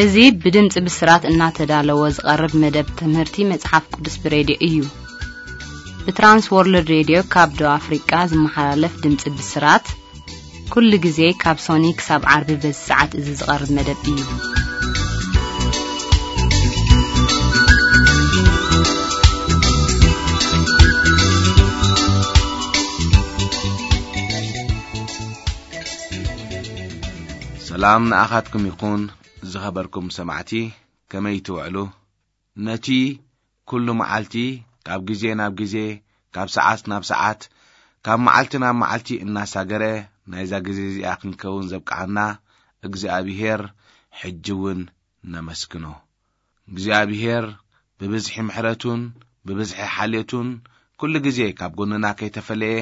እዚ ብድምፂ ብስራት እናተዳለወ ዝቐርብ መደብ ትምህርቲ መጽሓፍ ቅዱስ ብሬድዮ እዩ። ብትራንስ ወርልድ ሬድዮ ካብ ደቡብ ኣፍሪቃ ዝመሓላለፍ ድምፂ ብስራት፣ ኩሉ ግዜ ካብ ሶኒ ክሳብ ዓርቢ በዚ ሰዓት እዚ ዝቐርብ መደብ እዩ። ሰላም ንኣኻትኩም ይኹን፣ ዝኸበርኩም ሰማዕቲ፣ ከመይ ትውዕሉ? ነቲ ኩሉ መዓልቲ፣ ካብ ግዜ ናብ ግዜ፣ ካብ ሰዓት ናብ ሰዓት፣ ካብ መዓልቲ ናብ መዓልቲ እናሳገረ፣ ናይዛ ግዜ እዚኣ ክንከውን ዘብቅዓና እግዚኣብሄር ሕጂ እውን ነመስግኖ። እግዚኣብሄር ብብዝሒ ምሕረቱን ብብዝሒ ሓልዮቱን ኩሉ ግዜ ካብ ጎንና ከይተፈለየ፣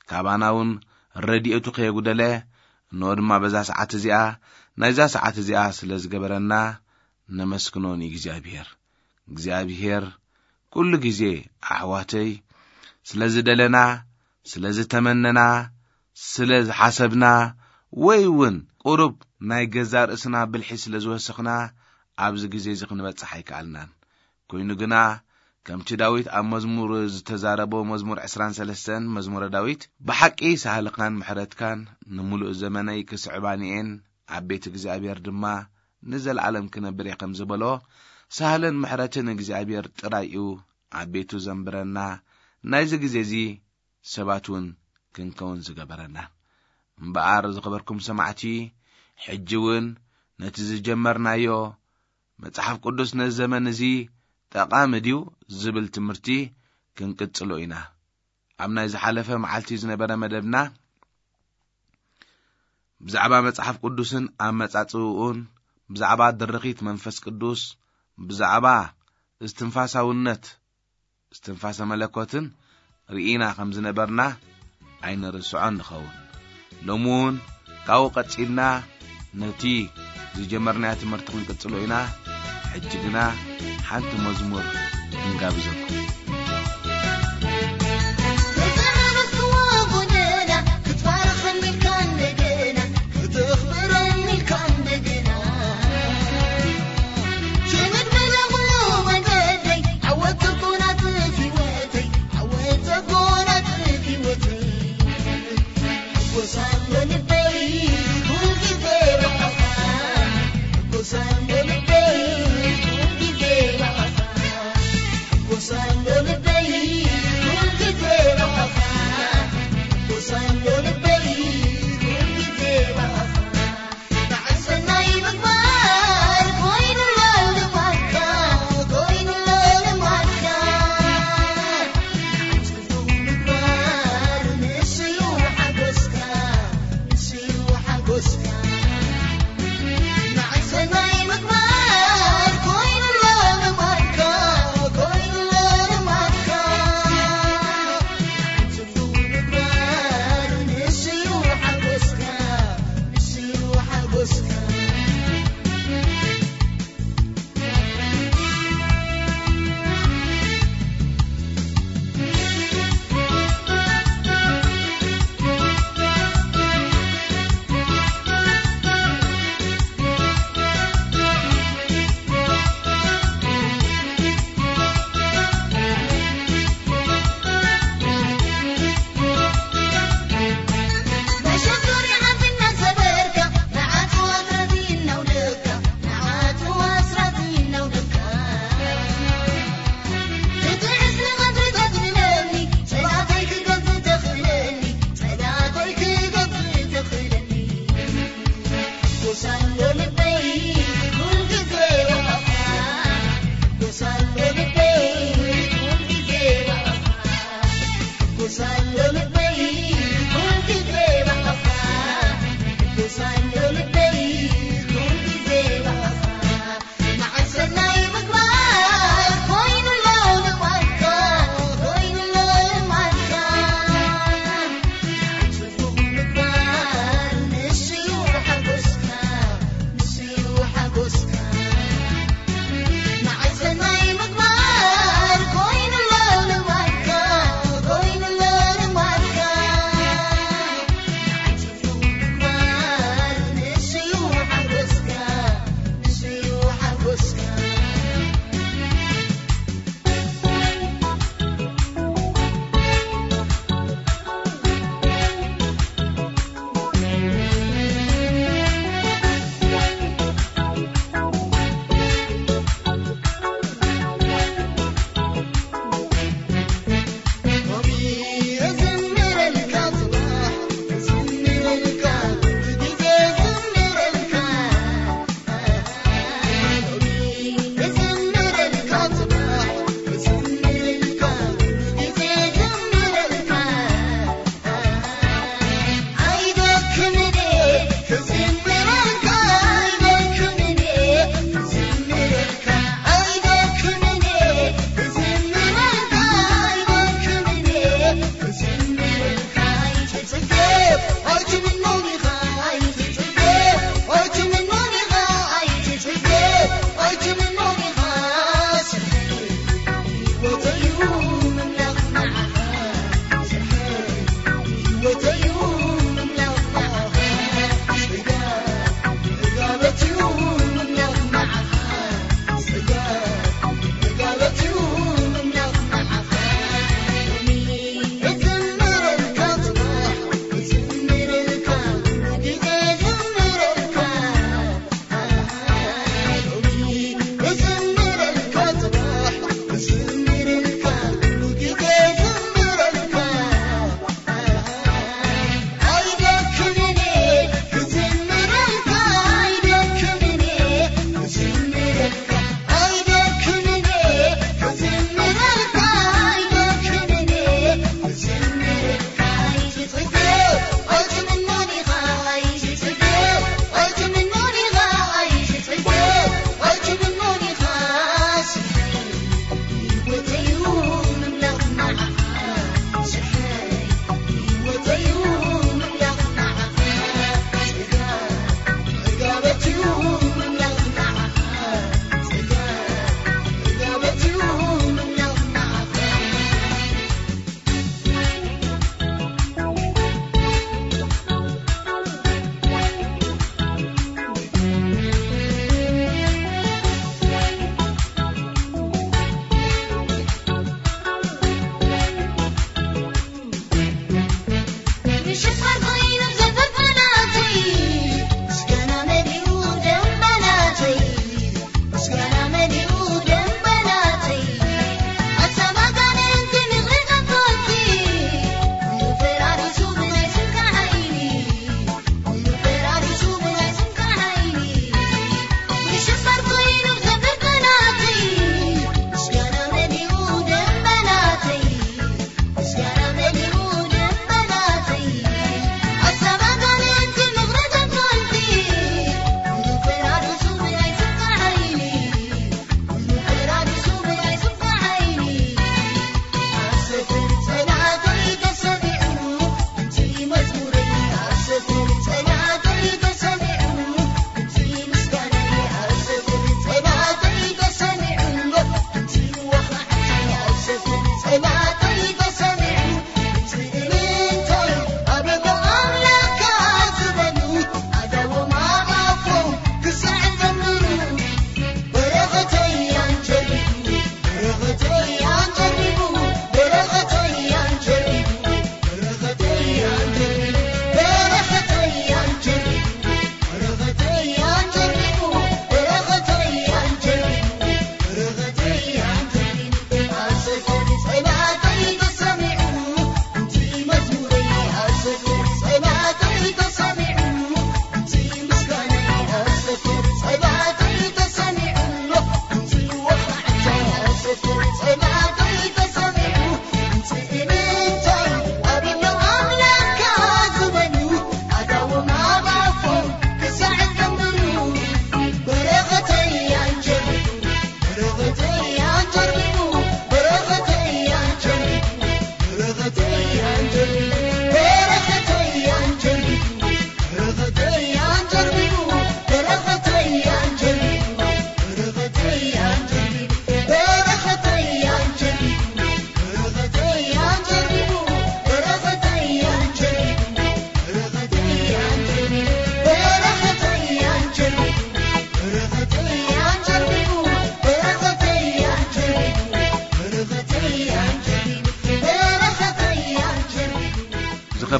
ካባና እውን ረድኤቱ ከየጉደለ፣ እንሆ ድማ በዛ ሰዓት እዚኣ፣ ናይዛ ሰዓት እዚኣ ስለ ዝገበረና ነመስግኖ ንእግዚኣብሄር። እግዚኣብሄር ኩሉ ግዜ ኣሕዋተይ ስለ ዝደለና፣ ስለ ዝተመነና፣ ስለ ዝሓሰብና፣ ወይ እውን ቁሩብ ናይ ገዛእ ርእስና ብልሒ ስለ ዝወሰኽና፣ ኣብዚ ግዜ እዚ ክንበጽሕ ኣይከኣልናን። ኮይኑ ግና፣ ከምቲ ዳዊት ኣብ መዝሙር ዝተዛረቦ፣ መዝሙር ዕስራን ሰለስተን፣ መዝሙረ ዳዊት፣ "ብሓቂ ሳህልኻን ምሕረትካን ንምሉእ ዘመነይ ክስዕባኒ እየን፣ ኣብ ቤት እግዚኣብሔር ድማ ንዘለኣለም ክነብር እየ" ከም ዝበሎ፣ ሳህልን ምሕረትን እግዚኣብሔር ጥራይ እዩ ኣብ ቤቱ ዘንብረና። ናይዚ ግዜ እዚ ሰባት እውን ክንከውን ዝገበረና። እምበኣር ዝኸበርኩም ሰማዕቲ፣ ሕጂ እውን ነቲ ዝጀመርናዮ መጽሓፍ ቅዱስ ነዚ ዘመን እዚ ጠቓሚ ድዩ ዝብል ትምህርቲ ክንቅጽሎ ኢና። ኣብ ናይ ዝሓለፈ መዓልቲ ዝነበረ መደብና ብዛዕባ መጽሓፍ ቅዱስን ኣመጻጽእኡን፣ ብዛዕባ ድርኺት መንፈስ ቅዱስ፣ ብዛዕባ እስትንፋሳውነት፣ እስትንፋሰ መለኮትን ርኢና ከም ዝነበርና ኣይንርስዖን ንኸውን። ሎሚ እውን ካብኡ ቀጺልና ነቲ ዝጀመርናዮ ትምህርቲ ክንቅጽሎ ኢና። ሕጂ ግና ሓንቲ መዝሙር ክንጋብዘኩም።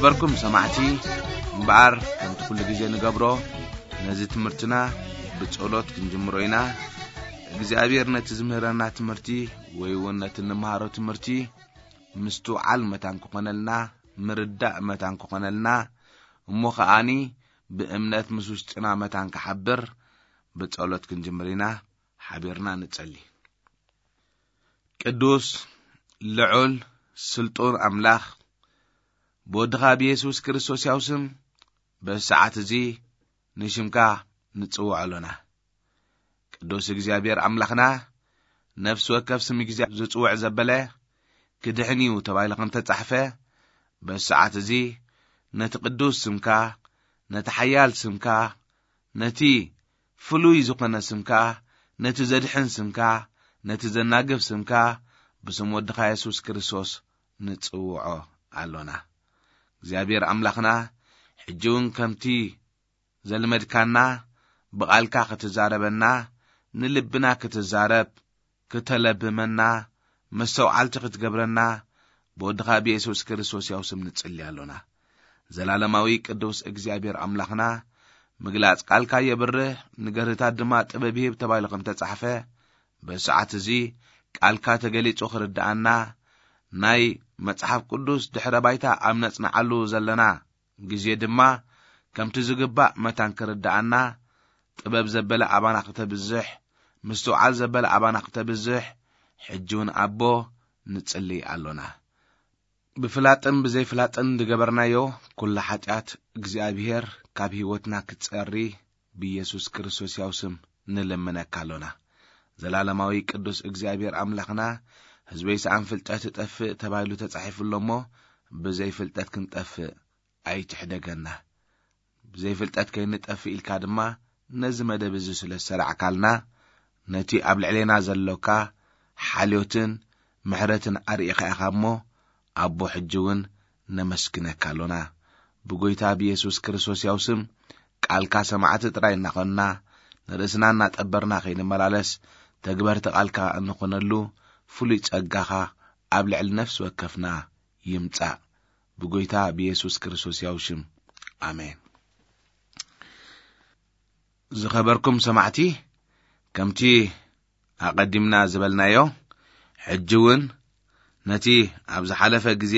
በርኩም ሰማዕቲ፣ እምበኣር ከምቲ ኩሉ ግዜ ንገብሮ፣ ነዚ ትምህርትና ብጸሎት ክንጅምሮ ኢና። እግዚኣብሔር ነቲ ዝምህረና ትምህርቲ ወይ እውን ነቲ እንመሃሮ ትምህርቲ ምስትውዓል መታን ክኾነልና፣ ምርዳእ መታን ክኾነልና፣ እሞ ከኣኒ ብእምነት ምስ ውሽጥና መታን ክሓብር ብጸሎት ክንጅምር ኢና። ሓቢርና ንጸሊ። ቅዱስ፣ ልዑል፣ ስልጡን ኣምላኽ፣ ብወድኻ ብየሱስ ክርስቶስ ያው ስም በዚ ሰዓት እዚ ንሽምካ ንጽውዖ ኣሎና። ቅዱስ እግዚኣብሔር ኣምላኽና፣ ነፍሲ ወከፍ ስም እግዚኣብሔር ዝጽውዕ ዘበለ ክድሕን እዩ ተባሂሉ ከም ተጻሕፈ፣ በዚ ሰዓት እዚ ነቲ ቅዱስ ስምካ፣ ነቲ ሓያል ስምካ፣ ነቲ ፍሉይ ዝኾነ ስምካ፣ ነቲ ዘድሕን ስምካ፣ ነቲ ዘናግፍ ስምካ፣ ብስም ወድኻ የሱስ ክርስቶስ ንጽውዖ ኣሎና። እግዚኣብሔር ኣምላኽና፣ ሕጂ እውን ከምቲ ዘልመድካና፣ ብቓልካ ክትዛረበና፣ ንልብና ክትዛረብ፣ ክተለብመና፣ መስተውዓልቲ ክትገብረና፣ ብወድኻ ብየሱስ ክርስቶስ ያው ስም ንጽሊ ኣሎና። ዘላለማዊ ቅዱስ እግዚኣብሔር ኣምላኽና፣ ምግላጽ ቃልካ የብርህ፣ ንገርህታት ድማ ጥበብ ይህብ ተባሂሉ ከም ተጻሕፈ፣ በዚ ሰዓት እዚ ቃልካ ተገሊጹ ክርድኣና፣ ናይ መጽሓፍ ቅዱስ ድሕረ ባይታ ኣብ ነጽንዓሉ ዘለና ግዜ ድማ፣ ከምቲ ዝግባእ መታን ክርድኣና፣ ጥበብ ዘበለ ኣባና ክተብዝሕ፣ ምስትውዓል ዘበለ ኣባና ክተብዝሕ፣ ሕጂ እውን ኣቦ ንጽሊ ኣሎና። ብፍላጥን ብዘይፍላጥን ዝገበርናዮ ኩሉ ሓጢኣት እግዚኣብሔር ካብ ህይወትና ክጸሪ ብኢየሱስ ክርስቶስ ያው ስም ንልምነካ ኣሎና። ዘላለማዊ ቅዱስ እግዚኣብሔር ኣምላኽና፣ ህዝበይ ሰኣን ፍልጠት እጠፍእ ተባሂሉ ተጻሒፉ ኣሎ እሞ፣ ብዘይፍልጠት ክንጠፍእ ኣይትሕደገና። ብዘይፍልጠት ከይንጠፍእ ኢልካ ድማ ነዚ መደብ እዚ ስለ ዝሰራዕካልና፣ ነቲ ኣብ ልዕሌና ዘሎካ ሓልዮትን ምሕረትን ኣርኢኻ ኢኻ እሞ፣ ኣቦ ሕጂ እውን ነመስግነካ ኣሎና። ብጎይታ ብየሱስ ክርስቶስ ያው ስም ቃልካ ሰማዕቲ ጥራይ እናኾንና፣ ንርእስና እናጠበርና ከይንመላለስ፣ ተግበርቲ ቃልካ እንኾነሉ ፍሉይ ጸጋኻ ኣብ ልዕሊ ነፍሲ ወከፍና ይምጻእ። ብጎይታ ብየሱስ ክርስቶስ ያው ሽም፣ ኣሜን። ዝኸበርኩም ሰማዕቲ፣ ከምቲ ኣቐዲምና ዝበልናዮ፣ ሕጂ እውን ነቲ ኣብ ዝሓለፈ ግዜ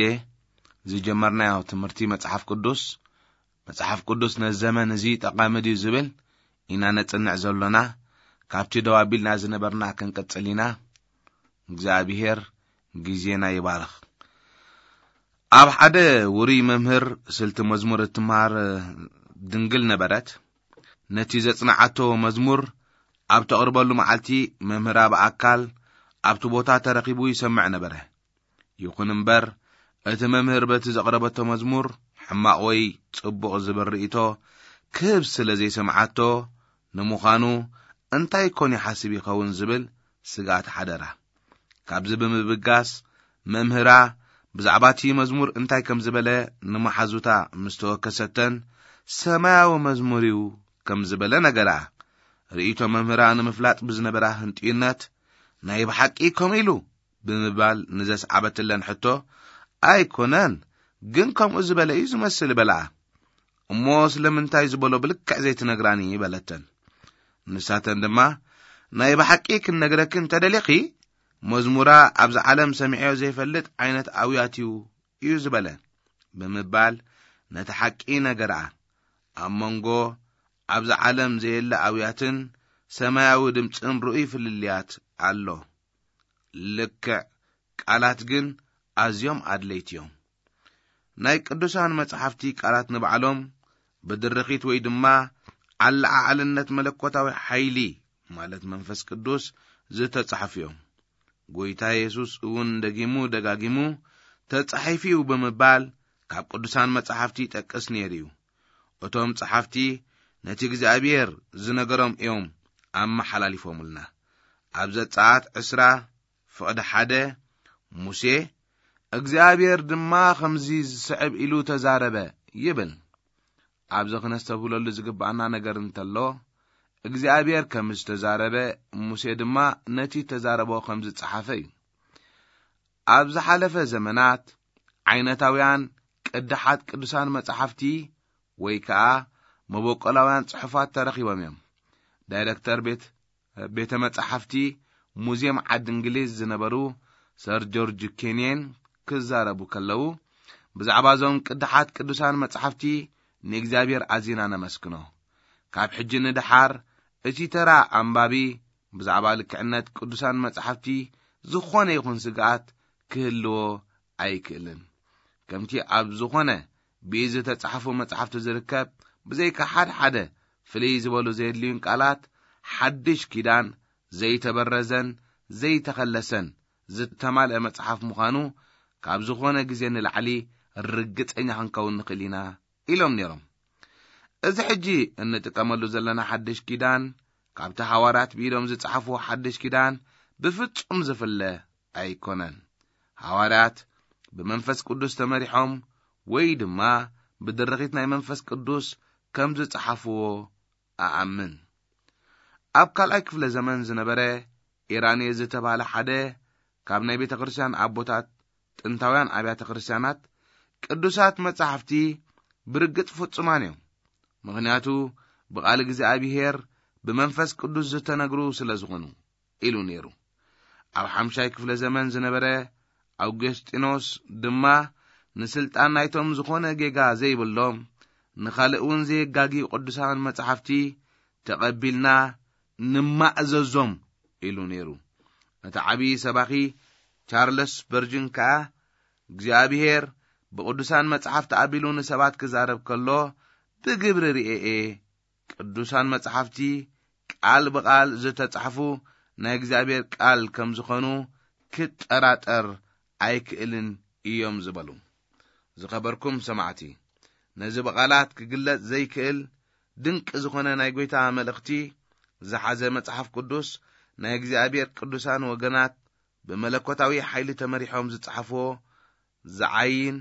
ዝጀመርናዮ ትምህርቲ መጽሓፍ ቅዱስ፣ መጽሓፍ ቅዱስ ነዚ ዘመን እዚ ጠቓሚ ድዩ ዝብል ኢና ነጽንዕ ዘሎና። ካብቲ ደው ኣቢልና ዝነበርና ክንቅጽል ኢና። እግዚኣብሔር ግዜና ይባርኽ። ኣብ ሓደ ውሩይ መምህር ስልቲ መዝሙር እትመሃር ድንግል ነበረት። ነቲ ዘጽንዓቶ መዝሙር ኣብ ተቕርበሉ መዓልቲ፣ መምህራ ብኣካል ኣብቲ ቦታ ተረኺቡ ይሰምዕ ነበረ። ይኹን እምበር፣ እቲ መምህር በቲ ዘቕረበቶ መዝሙር ሕማቕ ወይ ጽቡቕ ዝብል ርእይቶ ክህብ ስለ ዘይሰምዓቶ፣ ንምዃኑ እንታይ ኮን ይሓስብ ይኸውን ዝብል ስግኣት ሓደራ። ካብዚ ብምብጋስ፣ መምህራ ብዛዕባ እቲ መዝሙር እንታይ ከም ዝበለ ንመሓዙታ ምስ ተወከሰተን፣ ሰማያዊ መዝሙር እዩ ከም ዝበለ ነገራ። ርእይቶ መምህራ ንምፍላጥ ብዝነበራ ህንጥዩነት፣ ናይ ብሓቂ ከምኡ ኢሉ ብምባል ንዘስዓበትለን ሕቶ፣ ኣይኮነን፣ ግን ከምኡ ዝበለ እዩ ዝመስል በልኣ። እሞ ስለምንታይ ዝበሎ ብልክዕ ዘይትነግራኒ? በለተን። ንሳተን ድማ፣ ናይ ብሓቂ ክንነግረኪ እንተደሊኺ፣ መዝሙራ ኣብዚ ዓለም ሰሚዐዮ ዘይፈልጥ ዓይነት ኣውያት እዩ፣ እዩ ዝበለ ብምባል ነቲ ሓቂ ነገርኣ። ኣብ መንጎ ኣብዚ ዓለም ዘየለ ኣውያትን ሰማያዊ ድምጽን ርኡይ ፍልልያት ኣሎ። ልክዕ ቃላት ግን ኣዝዮም ኣድለይቲ እዮም። ናይ ቅዱሳን መጻሕፍቲ ቃላት ንባዕሎም ብድርኺት ወይ ድማ ኣለዓዕልነት መለኮታዊ ሓይሊ፣ ማለት መንፈስ ቅዱስ፣ ዝተጻሕፉ እዮም። ጎይታ የሱስ እውን ደጊሙ ደጋጊሙ ተጻሒፉ እዩ ብምባል ካብ ቅዱሳን መጻሕፍቲ ይጠቅስ ነይሩ እዩ። እቶም ጸሓፍቲ ነቲ እግዚኣብሔር ዝነገሮም እዮም ኣመሓላሊፎምልና። ኣብ ዘጸኣት ዕስራ ፍቕዲ ሓደ፣ ሙሴ፣ እግዚኣብሔር ድማ ከምዚ ዝስዕብ ኢሉ ተዛረበ ይብል። ኣብዚ ክነስተብህለሉ ዝግብኣና ነገር እንተሎ፣ እግዚኣብሔር ከም ዝተዛረበ፣ ሙሴ ድማ ነቲ ተዛረቦ ከም ዝጸሓፈ እዩ። ኣብ ዝሓለፈ ዘመናት ዓይነታውያን ቅድሓት ቅዱሳን መጻሕፍቲ ወይ ከኣ መበቆላውያን ጽሑፋት ተረኺቦም እዮም። ዳይረክተር ቤት፣ ቤተ መጻሕፍቲ ሙዚየም ዓዲ እንግሊዝ ዝነበሩ ሰር ጆርጅ ኬንየን ክዛረቡ ከለዉ፣ ብዛዕባ እዞም ቅድሓት ቅዱሳን መጻሕፍቲ ንእግዚኣብሔር ኣዚና ነመስግኖ። ካብ ሕጂ ንደሓር እቲ ተራ ኣንባቢ ብዛዕባ ልክዕነት ቅዱሳን መጻሕፍቲ ዝኾነ ይኹን ስግኣት ክህልዎ ኣይክእልን። ከምቲ ኣብ ዝኾነ ብኢድ ዝተጻሕፉ መጻሕፍቲ ዝርከብ፣ ብዘይካ ሓደ ሓደ ፍልይ ዝበሉ ዘየድልዩን ቃላት፣ ሓድሽ ኪዳን ዘይተበረዘን ዘይተኸለሰን ዝተማልአ መጽሓፍ ምዃኑ ካብ ዝኾነ ግዜ ንላዕሊ ርግጸኛ ክንከውን ንኽእል ኢና ኢሎም ነይሮም። እዚ ሕጂ እንጥቀመሉ ዘለና ሓድሽ ኪዳን ካብቲ ሃዋርያት ብኢዶም ዝጸሓፍዎ ሓድሽ ኪዳን ብፍጹም ዝፍለ ኣይኮነን። ሃዋርያት ብመንፈስ ቅዱስ ተመሪሖም ወይ ድማ ብድርኺት ናይ መንፈስ ቅዱስ ከም ዝጸሓፍዎ ኣኣምን። ኣብ ካልኣይ ክፍለ ዘመን ዝነበረ ኢራንየ ዝተባህለ ሓደ ካብ ናይ ቤተ ክርስቲያን ኣቦታት ጥንታውያን ኣብያተ ክርስቲያናት ቅዱሳት መጻሕፍቲ ብርግጽ ፍጹማን እዮም። ምኽንያቱ ብቓል እግዚኣብሔር ብመንፈስ ቅዱስ ዝተነግሩ ስለ ዝኾኑ ኢሉ ነይሩ። ኣብ ሓምሻይ ክፍለ ዘመን ዝነበረ ኣውገስጢኖስ ድማ ንስልጣን ናይቶም ዝኾነ ጌጋ ዘይብሎም ንኻልእ እውን ዘየጋግዩ ቅዱሳን መጻሕፍቲ ተቐቢልና ንማእዘዞም ኢሉ ነይሩ። እቲ ዓብዪ ሰባኺ ቻርለስ በርጅን ከኣ እግዚኣብሔር ብቅዱሳን መጻሕፍቲ ኣቢሉ ንሰባት ክዛረብ ከሎ ብግብሪ ርእየ እየ። ቅዱሳን መጻሕፍቲ ቃል ብቃል ዝተጻሕፉ ናይ እግዚኣብሔር ቃል ከም ዝኾኑ ክጠራጠር ኣይክእልን እዮም ዝበሉ። ዝኸበርኩም ሰማዕቲ፣ ነዚ ብቓላት ክግለጽ ዘይክእል ድንቂ ዝኾነ ናይ ጐይታ መልእኽቲ ዝሓዘ መጽሓፍ ቅዱስ ናይ እግዚኣብሔር ቅዱሳን ወገናት ብመለኮታዊ ሓይሊ ተመሪሖም ዝጸሓፍዎ ዝዓይን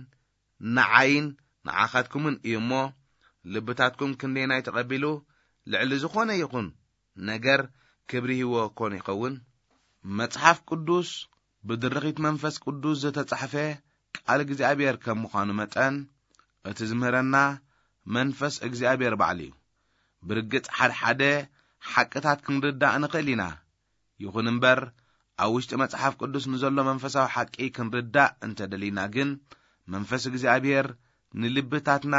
ንዓይን ንዓኻትኩምን እዩ እሞ፣ ልብታትኩም ክንደየናይ ተቐቢሉ ልዕሊ ዝኾነ ይኹን ነገር ክብሪ ሂዎ ኮን ይኸውን? መጽሓፍ ቅዱስ ብድርኺት መንፈስ ቅዱስ ዝተጻሕፈ ቃል እግዚኣብሔር ከም ምዃኑ መጠን፣ እቲ ዝምህረና መንፈስ እግዚኣብሔር ባዕሉ እዩ። ብርግጽ ሓድሓደ ሓቅታት ክንርዳእ ንኽእል ኢና። ይኹን እምበር፣ ኣብ ውሽጢ መጽሓፍ ቅዱስ ንዘሎ መንፈሳዊ ሓቂ ክንርዳእ እንተደሊና ግን፣ መንፈስ እግዚኣብሔር ንልብታትና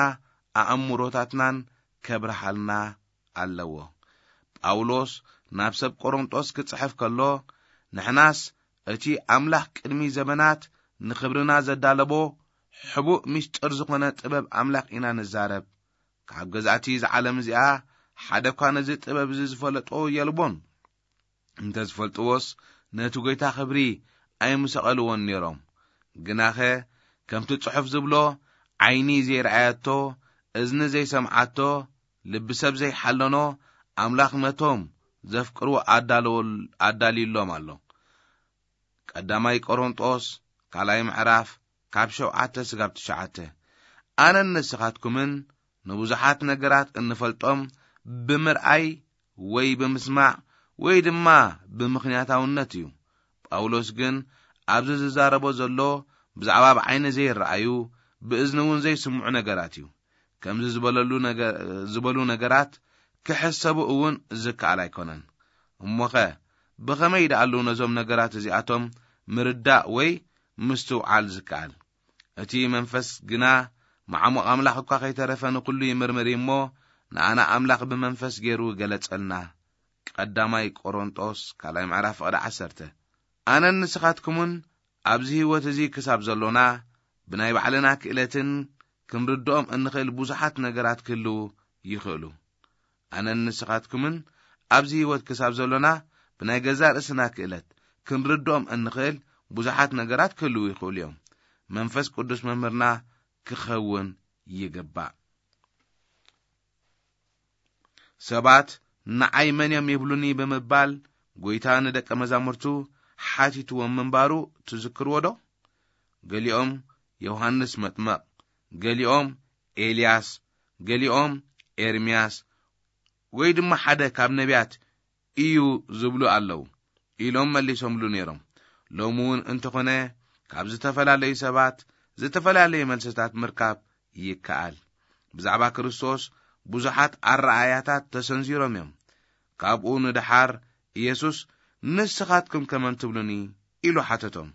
ኣእምሮታትናን ከብርሃልና ኣለዎ። ጳውሎስ ናብ ሰብ ቆሮንጦስ ክጽሕፍ ከሎ፣ ንሕናስ እቲ ኣምላኽ ቅድሚ ዘመናት ንኽብርና ዘዳለቦ ሕቡእ ምስጢር ዝኾነ ጥበብ ኣምላኽ ኢና ንዛረብ። ካብ ገዛእቲ እዛ ዓለም እዚኣ ሓደ እኳ ነዚ ጥበብ እዚ ዝፈለጦ የልቦን። እንተ ዝፈልጥዎስ ነቲ ጐይታ ኽብሪ ኣይምሰቐልዎን ነይሮም። ግናኸ ከምቲ ጽሑፍ ዝብሎ፣ ዓይኒ ዘይረኣየቶ፣ እዝኒ ዘይሰምዓቶ፣ ልቢ ሰብ ዘይሓለኖ፣ ኣምላኽ ነቶም ዘፍቅርዎ ኣዳለወል-፣ ኣዳልዩሎም ኣሎ። ቀዳማይ ቆሮንጦስ ካልኣይ ምዕራፍ ካብ ሸውዓተ ስጋብ ትሽዓተ። ኣነን ንስኻትኩምን ንብዙሓት ነገራት እንፈልጦም ብምርኣይ ወይ ብምስማዕ ወይ ድማ ብምኽንያታውነት እዩ። ጳውሎስ ግን ኣብዚ ዝዛረቦ ዘሎ ብዛዕባ ብዓይኒ ዘይረኣዩ፣ ብእዝኒ እውን ዘይስምዑ ነገራት እዩ። ከምዚ ዝበለሉ ነገ-፣ ዝበሉ ነገራት ክሕሰቡ እውን ዝከኣል ኣይኮነን። እሞኸ ብኸመይ ደኣሉ ነዞም ነገራት እዚኣቶም ምርዳእ ወይ ምስትውዓል ዝከኣል? እቲ መንፈስ ግና መዓሙቕ ኣምላኽ እኳ ከይተረፈ ንኹሉ ይምርምር እዩ እሞ፣ ንኣና ኣምላኽ ብመንፈስ ገይሩ ገለጸልና። ቀዳማይ ቆሮንጦስ ካልኣይ ምዕራፍ ፍቕዲ ዓሰርተ። ኣነን ንስኻትኩምን ኣብዚ ህይወት እዚ ክሳብ ዘሎና፣ ብናይ ባዕልና ክእለትን ክንርድኦም እንኽእል ብዙሓት ነገራት ክህልዉ ይኽእሉ። ኣነን ንስኻትኩምን ኣብዚ ህይወት ክሳብ ዘሎና፣ ብናይ ገዛእ ርእስና ክእለት ክንርድኦም እንኽእል ብዙሓት ነገራት ክህልዉ ይኽእሉ እዮም። መንፈስ ቅዱስ መምህርና ክኸውን ይግባእ። ሰባት ንዓይ መን እዮም ይብሉኒ ብምባል ጐይታ ንደቀ መዛሙርቱ ሓቲትዎም ምንባሩ ትዝክርዎ ዶ? ገሊኦም ዮሃንስ መጥመቕ፣ ገሊኦም ኤልያስ፣ ገሊኦም ኤርምያስ፣ ወይ ድማ ሓደ ካብ ነቢያት እዩ ዝብሉ ኣለዉ ኢሎም መሊሶምሉ ነይሮም። ሎሚ እውን እንተኾነ ካብ ዝተፈላለዩ ሰባት ዝተፈላለዩ መልስታት ምርካብ ይከኣል። ብዛዕባ ክርስቶስ ብዙሓት ኣረኣእያታት ተሰንዚሮም እዮም። ካብኡ ንደሓር ኢየሱስ፣ "ንስኻትኩም ከመን ትብሉኒ?" ኢሉ ሓተቶም።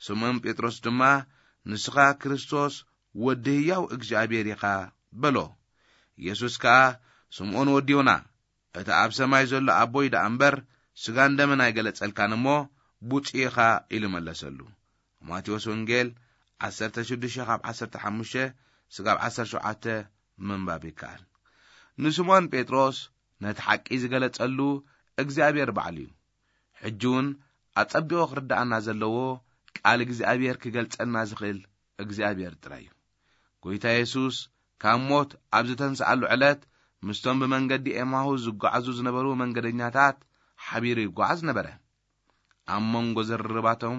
ስምዖን ጴጥሮስ ድማ፣ "ንስኻ ክርስቶስ ወዲ ህያው እግዚኣብሔር ኢኻ" በሎ። ኢየሱስ ከኣ፣ "ስምዖን ወዲ ዮና፣ እቲ ኣብ ሰማይ ዘሎ ኣቦይ ደኣ እምበር፣ ስጋን ደምን ኣይገለጸልካን እሞ፣ ብፁዕ ኢኻ" ኢሉ መለሰሉ። ማቴዎስ ወንጌል ዓሰርተ ሽዱሽተ ካብ ዓሰርተ ሓሙሽተ ስጋብ ዓሰርተ ሸውዓተ ምንባብ ይከኣል። ንስምዖን ጴጥሮስ ነቲ ሓቂ ዝገለጸሉ እግዚኣብሔር ባዕሉ እዩ። ሕጂ እውን ኣጸቢቑ ክርድኣና ዘለዎ፣ ቃል እግዚኣብሔር ክገልጸልና ዝኽእል እግዚኣብሔር ጥራይ እዩ። ጐይታ የሱስ ካብ ሞት ኣብ ዝተንስኣሉ ዕለት፣ ምስቶም ብመንገዲ ኤማሁስ ዝጓዓዙ ዝነበሩ መንገደኛታት ሓቢሩ ይጓዓዝ ነበረ። ኣብ መንጎ ዝርርባቶም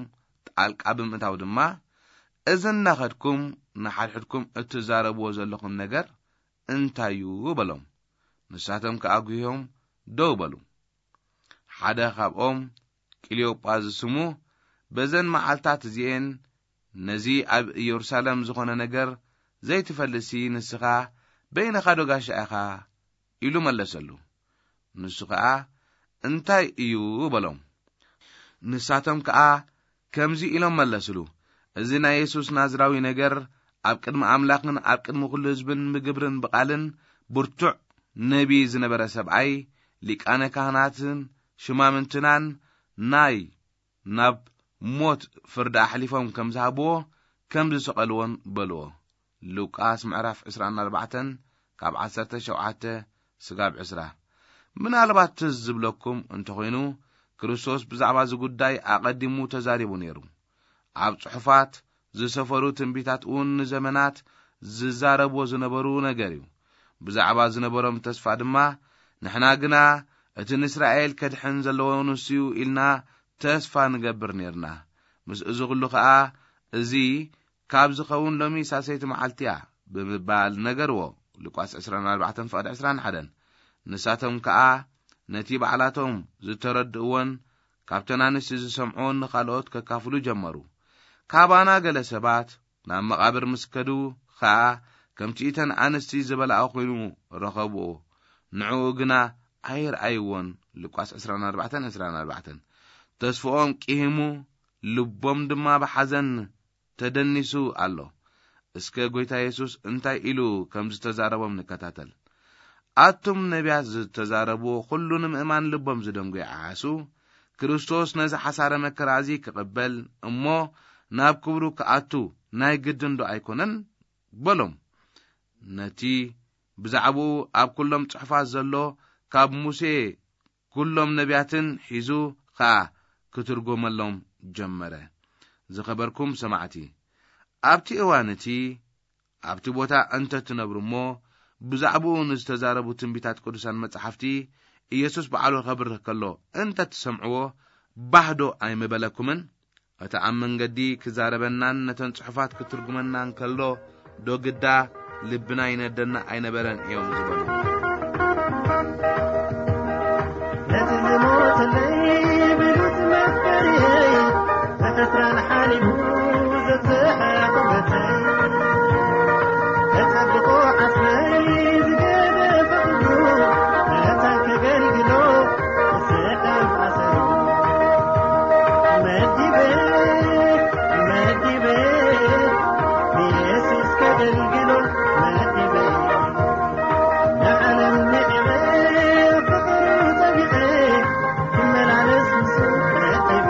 ጣልቃ ብምእታው ድማ፣ "እዚ እናኸድኩም ንሓድሕድኩም እትዛረብዎ ዘለኹም ነገር እንታይ እዩ?" በሎም። ንሳቶም ከኣ ጒሆም ደው በሉ። ሓደ ካብኦም፣ ቅልዮጳ ዝስሙ፣ "በዘን መዓልታት እዚኤን ነዚ ኣብ ኢየሩሳሌም ዝኾነ ነገር ዘይትፈልጥሲ፣ ንስኻ በይንኻ ዶ ጋሻ ኢኻ?" ኢሉ መለሰሉ። ንሱ ኸኣ፣ "እንታይ እዩ?" በሎም። ንሳቶም ከኣ ከምዚ ኢሎም መለስሉ፣ "እዚ ናይ የሱስ ናዝራዊ ነገር ኣብ ቅድሚ ኣምላኽን ኣብ ቅድሚ ኵሉ ህዝብን ብግብርን ብቓልን ብርቱዕ ነቢ ዝነበረ ሰብኣይ፣ ሊቃነ ካህናትን ሽማምንትናን ናይ ናብ ሞት ፍርዲ ኣሕሊፎም ከም ዝሃብዎ፣ ከም ዝሰቐልዎን በልዎ።" ሉቃስ ምዕራፍ ዕስራን ኣርባዕተን ካብ ዓሰርተ ሸውዓተ ስጋብ ዕስራ። ምናልባት ትዝ ዝብለኩም እንተኾይኑ፣ ክርስቶስ ብዛዕባ እዚ ጉዳይ ኣቐዲሙ ተዛሪቡ ነይሩ። ኣብ ጽሑፋት ዝሰፈሩ ትንቢታት እውን ንዘመናት ዝዛረብዎ ዝነበሩ ነገር እዩ። ብዛዕባ ዝነበሮም ተስፋ ድማ፣ "ንሕና ግና እቲ ንእስራኤል ከድሕን ዘለዎ ንሱ እዩ" ኢልና ተስፋ ንገብር ነይርና። ምስ እዚ ኹሉ ኸኣ፣ "እዚ ካብ ዝኸውን ሎሚ ሳልሰይቲ መዓልቲ እያ" ብምባል ነገርዎ። ሉቃስ ዕስራን ኣርባዕተን ፍቕዲ ዕስራን ሓደን። ንሳቶም ከኣ ነቲ ባዕላቶም ዝተረድእዎን ካብተን ኣንስቲ ዝሰምዕዎን ንኻልኦት ከካፍሉ ጀመሩ። ካባና ገለ ሰባት ናብ መቓብር ምስ ከዱ ኸኣ፣ ከምቲ እተን ኣንስቲ ዝበልኣ ኾይኑ ረኸብዎ። ንዕኡ ግና ኣይርኣይዎን። ሉቃስ ዕስራን ኣርባዕተን ዕስራን ኣርባዕተን። ተስፍኦም ቂሂሙ፣ ልቦም ድማ ብሓዘን ተደኒሱ ኣሎ። እስከ ጐይታ የሱስ እንታይ ኢሉ ከም ዝተዛረቦም ንከታተል። "ኣቱም ነቢያት ዝተዛረብዎ ኹሉ ንምእማን ልቦም ዝደንጉ ይዓሱ። ክርስቶስ ነዚ ሓሳረ መከራ እዚ ክቕበል እሞ ናብ ክብሩ ክኣቱ ናይ ግድን ዶ ኣይኮነን?" በሎም። ነቲ ብዛዕባኡ ኣብ ኩሎም ጽሑፋት ዘሎ ካብ ሙሴ ኩሎም ነቢያትን ሒዙ ኸኣ ክትርጎመሎም ጀመረ። ዝኸበርኩም ሰማዕቲ፣ ኣብቲ እዋን እቲ ኣብቲ ቦታ እንተ ትነብሩ እሞ፣ ብዛዕባኡ ንዝተዛረቡ ትንቢታት ቅዱሳን መጻሕፍቲ፣ ኢየሱስ ባዕሉ ከብርህ ከሎ እንተ ትሰምዕዎ፣ ባህ ዶ ኣይምበለኩምን? እቲ ኣብ መንገዲ ክዛረበናን ነተን ጽሑፋት ክትርጉመናን ከሎ፣ ዶ ግዳ ልብና ይነደና ኣይነበረን እዮም ዝበሉ። ነቲ ዝሞተለይ ብሉጽ መፍቀሪየይ፣ ብሕስራን ሓሊፉ ዘተሓቑፈተይ፣ ተጸብቆ ዓስበይ ዝገደፈ ኩሉ፣ መታን ከገልግሎ፣ ስሕል ኣሰሩ መዲበ፣ መዲበ፣ ንየሱስ ከገልግሎ መዲበ። ንዓለም ንዕቐ ፍቕሩ ጠቢቐ ክመላለስ ምስ ረኺበ።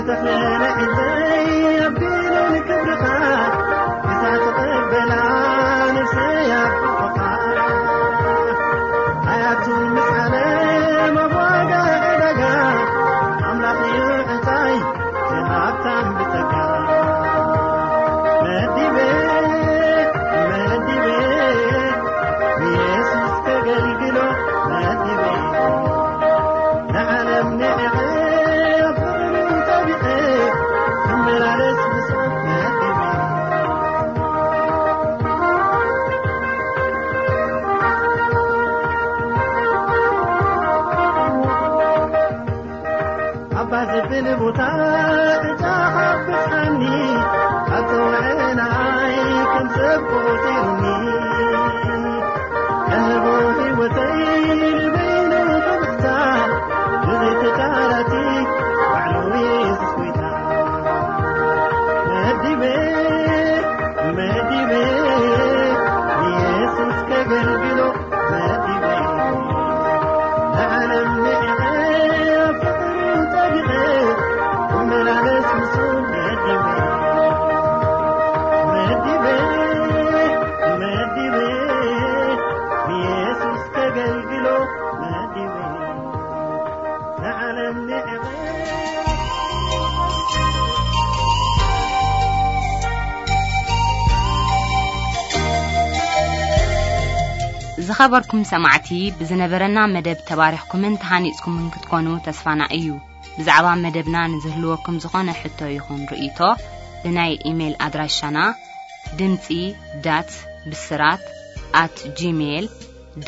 ተኽለ ንዕዘይ ኣቢሉ ንክብርኻ፣ እዛ ተቐበላ ነፍሰይ ኣብ ሕቖኻ። ኣያቱ ምስ ዓለም ኣብ ዋጋ ዕዳጋ፣ ኣምላኽ እዩ ዕንታይ እቲ ሃብታም ብጸጋ። መዲበ፣ መዲበ፣ ንየሱስ ከገልግሎ መዲበ። ንዓለም ንዕቐ ኣብ ፍቕሩ ጠቢቐ፣ ክመላለስ ምስኡ መዲበ። ኣባ ዘብል ቦታ ዕጫኻ ብጽሓኒ፣ ኣብ ጽውዕናይ ከም ሰብ ቆጺሩኒ። እህቦ ህይወተይ ንበይኑ ክብሕታ፣ ብዘይ ተቃራጺ ባዕሉ የሱስ ጎይታ። መዲበ፣ መዲበ፣ ንየሱስ ከገልግሎ መዲበ። ንዓለም ንዕቐ ኣብ ፍቕሩ ጠቢቐ፣ ክመላለስ ምስኡ መዲበ። መዲበ፣ መዲበ፣ ንየሱስ ከገልግሎ መዲበ። ንዓለም ንዕቐ ዝኸበርኩም ሰማዕቲ፣ ብዝነበረና መደብ ተባሪኽኩምን ተሃኒጽኩምን ክትኮኑ ተስፋና እዩ። ብዛዕባ መደብና ንዝህልወኩም ዝኾነ ሕቶ ይኹን ርእይቶ፣ ብናይ ኢሜይል ኣድራሻና ድምጺ ዳት ብስራት ኣት ጂሜይል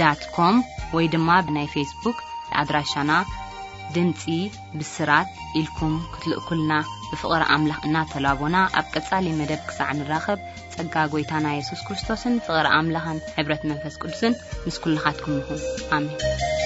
ዳት ኮም ወይ ድማ ብናይ ፌስቡክ ኣድራሻና ድምጺ ብስራት ኢልኩም ክትልእኩልና ብፍቕሪ ኣምላኽ እናተላቦና፣ ኣብ ቀጻሊ መደብ ክሳዕ ንራኸብ፣ ጸጋ ጐይታና የሱስ ክርስቶስን ፍቕሪ ኣምላኽን ሕብረት መንፈስ ቅዱስን ምስ ኩልኻትኩም ይኹን። ኣሜን።